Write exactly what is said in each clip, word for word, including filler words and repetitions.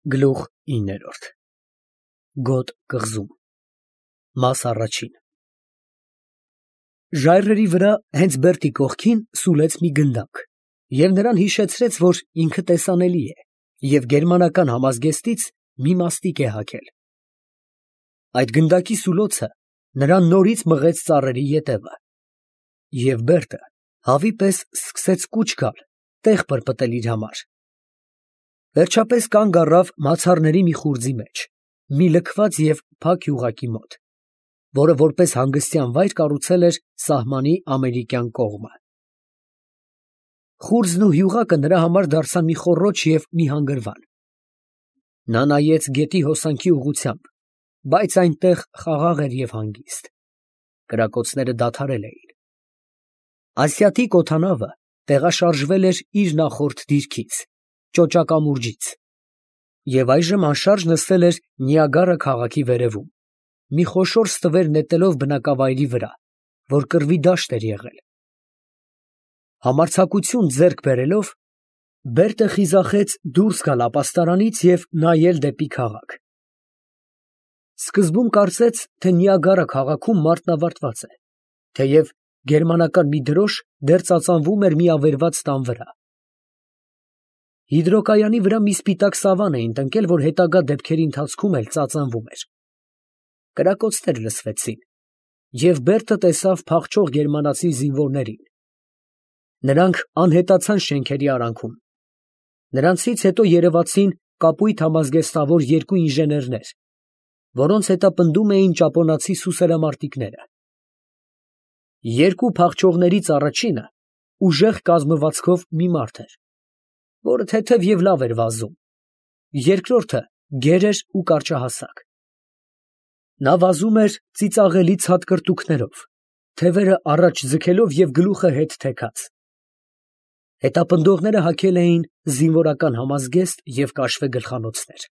Գլուխ ինը Գոտ կղզում Մաս առաջին Ժայռերի վրա հենց Բերտի կողքին սուլեց մի գնդակ և նրան հիշեցրեց, որ ինքը տեսանելի է և գերմանական համազգեստից մի մաստիկ է հագել։ Այդ գնդակի սուլոցը նրան նորից մղեց ծառերի ետևը, և Բերտը հավի պես սկսեց կուչ գալ տեղ պրպտել իր համար։ Վերջապես կանգ առավ մացառների մի խուրձի մեջ, մի լքված և փակ յուղակի մոտ, որը որպես հանգստյան վայր կառուցել էր սահմանի ամերիկյան կողմը։ Խուրձն ու յուղակը նրա համար դարձան մի խոռոչ և մի հանգրվան։ Նա նայեց գետի հոսանքի ուղղությամբ, բայց այնտեղ խաղաղ էր և հանգիստ։ Կրակոցները դադարել էին։ Ասիատիկ օդանավը տեղաշարժվել էր իր նախորդ դիրքից՝ ճոճակամուրջից, և այժմ անշարժ նստել էր Նիագարա քաղաքի վերևում, մի խոշոր ստվեր նետելով բնակավայրի վրա, որ կռվի դաշտ էր եղել։ Համարձակություն ձեռք բերելով, Բերտը խիզախեց դուրս գալ ապաստարանից և նայել դեպի քաղաք։ Սկզբում կարծեց, թե Նիագարա քաղաքում մարտն ավարտված է, թեև գերմանական մի դրոշ դեռ ծածանվում էր մի ավերված տան վրա։ Հիդրոկայանի վրա մի սպիտակ սավան էին տնկել, որ հետագա դեպքերի ընթացքում էլ ծածանվում էր։ Կրակոցներ լսվեցին, և Բերտը տեսավ փախչող գերմանացի զինվորներին։ Նրանք անհետացան շենքերի արանքում։ Նրանցից հետո երևացին կապույտ համազգեստավոր երկու ինժեներներ, որոնց հետապնդում էին ճապոնացի սուսերամարտիկները։ Երկու փախչողներից առաջինը ուժեղ կազմվածքով մի մարդ էր, որը թեթև և լավ էր վազում, երկրորդը գեր էր ու կարճահասակ։ Նա վազում էր ծիծաղելի ցատկրտուքներով, թևերը առաջ ձգելով և գլուխը հետ թեքած։ Հետապնդողները հագել էին զինվորական համազգեստ և կաշվե գլխանոցներ։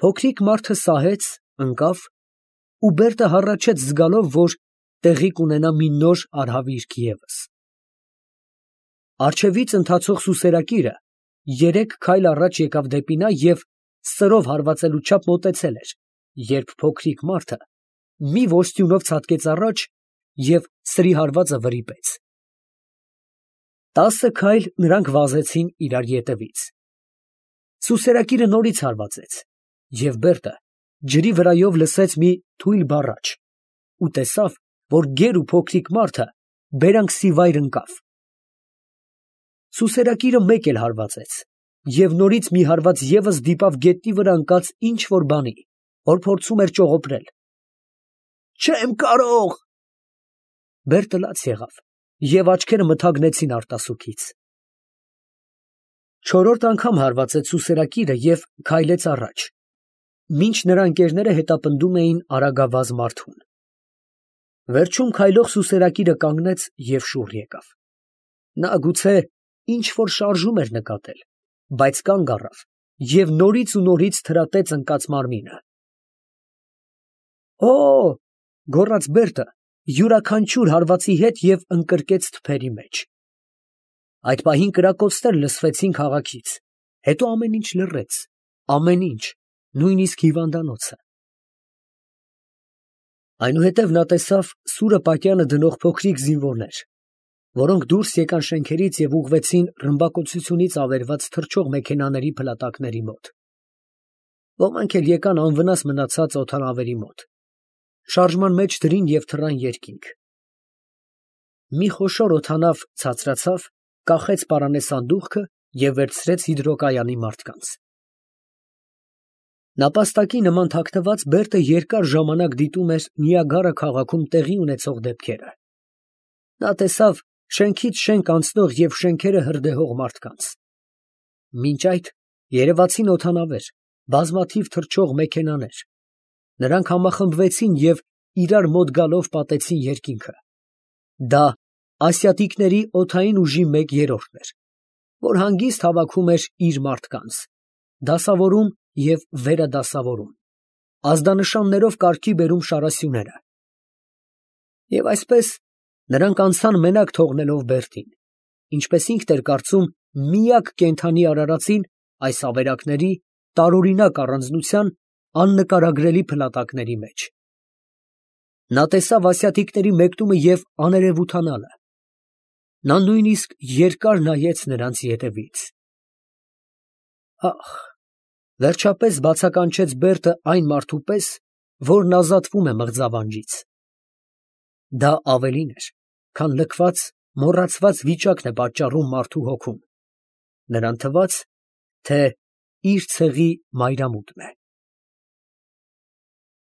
Փոքրիկ մարդը սահեց, ընկավ, ու Բերտը հառաչեց զգալով, որ տեղի կունենա մի նոր արհավիրք ևս։ Առջևից ընթացող սուսերակիրը երեք քայլ առաջ եկավ դեպի նա և սրով հարվածելու չափ մոտեցել էր, երբ փոքրիկ մարդը մի ոստյունով ցատկեց առաջ և սրի հարվածը վրիպեց։ Տասը քայլ նրանք վազեցին իրար ետևից։ Սուսերակիրը նորից հարվածեց, և Բերտը ջրի վրայով լսեց մի թույլ բառաչ ու տեսավ, որ գեր ու փոքրիկ մարդը բերանքսի վայր ընկավ։ Սուսերակիրը մեկ էլ հարվածեց, և նորից մի հարված ևս դիպավ գետնի վրա ընկած ինչ֊որ բանի, որ փորձում էր ճողոպրել։ «Չեմ կարող»։ Բերտը լաց եղավ, և աչքերը մթագնեցին արտասուքից։ Չորրորդ անգամ հարվածեց սուսերակիրը և քայլեց առաջ, մինչ նրա ընկերները հետապնդում էին արագավազ մարդուն։ Վերջում քայլող սուսերակիրը կանգնեց և շուռ եկավ։ Նա գուցե ինչ֊որ շարժում էր նկատել, բայց կանգ առավ և նորից ու նորից թրատեց ընկած մարմինը։ «Օ՜», գոռաց Բերտը յուրաքանչյուր հարվածի հետ և ընկրկեց թփերի մեջ։ Այդ պահին կրակոցներ լսվեցին քաղաքից, հետո ամեն ինչ լռեց, ամեն ինչ, նույնիսկ հիվանդանոցը։ Այնուհետև նա տեսավ սուրը պատյանը դնող փոքրիկ զինվորներ, որոնք դուրս եկան շենքերից և ուղղվեցին ռմբակոծությունից ավերված թռչող մեքենաների փլատակների մոտ։ Ոմանք էլ եկան անվնաս մնացած օդանավերի մոտ, շարժման մեջ դրին և թռան երկինք։ Մի խոշոր օդանավ ցածրացավ, կախեց պարանը սանդուղքը և վերցրեց հիդրոկայանի մարդկանց։ Նապաստակի նման թաքնված Բերտը երկար ժամանակ դիտում էր Նիագարա քաղաքում տեղի ունեցող դեպքերը։ Նա տեսավ շենքից շենք անցնող և շենքերը հրդեհող մարդկանց։ Մինչ այդ երևացին օդանավեր, բազմաթիվ թռչող մեքենաներ։ Նրանք համախմբվեցին և իրար մոտ գալով պատեցին երկինքը։ Դա ասիատիկների օդային ուժի մեկ երրորդն էր, որ հանգիստ հավաքում էր իր մարդկանց, դասավորում և վերադասավորում, ազդանշաններով կարգի բերում շարասյուները։ Եվ այսպես նրանք անցան մենակ թողնելով Բերտին, ինչպես ինքն էր կարծում, միակ կենդանի արարածին այս ավերակների տարօրինակ առանձնության աննկարագրելի փլատակների մեջ։ Նա տեսավ ասիատիկների մեկնումը և աներևութանալը. նա նույնիսկ երկար նայեց նրանց ետևից։ Ա՜խ, վերջապես բացականչեց Բերտը այն մարդու պես, որն ազատվում է մղձավանջից։ Դա ավելին էր, քան լքված, մոռացված վիճակն է պատճառում մարդու հոգուն. նրան թվաց, թե իր ցեղի մայրամուտն է։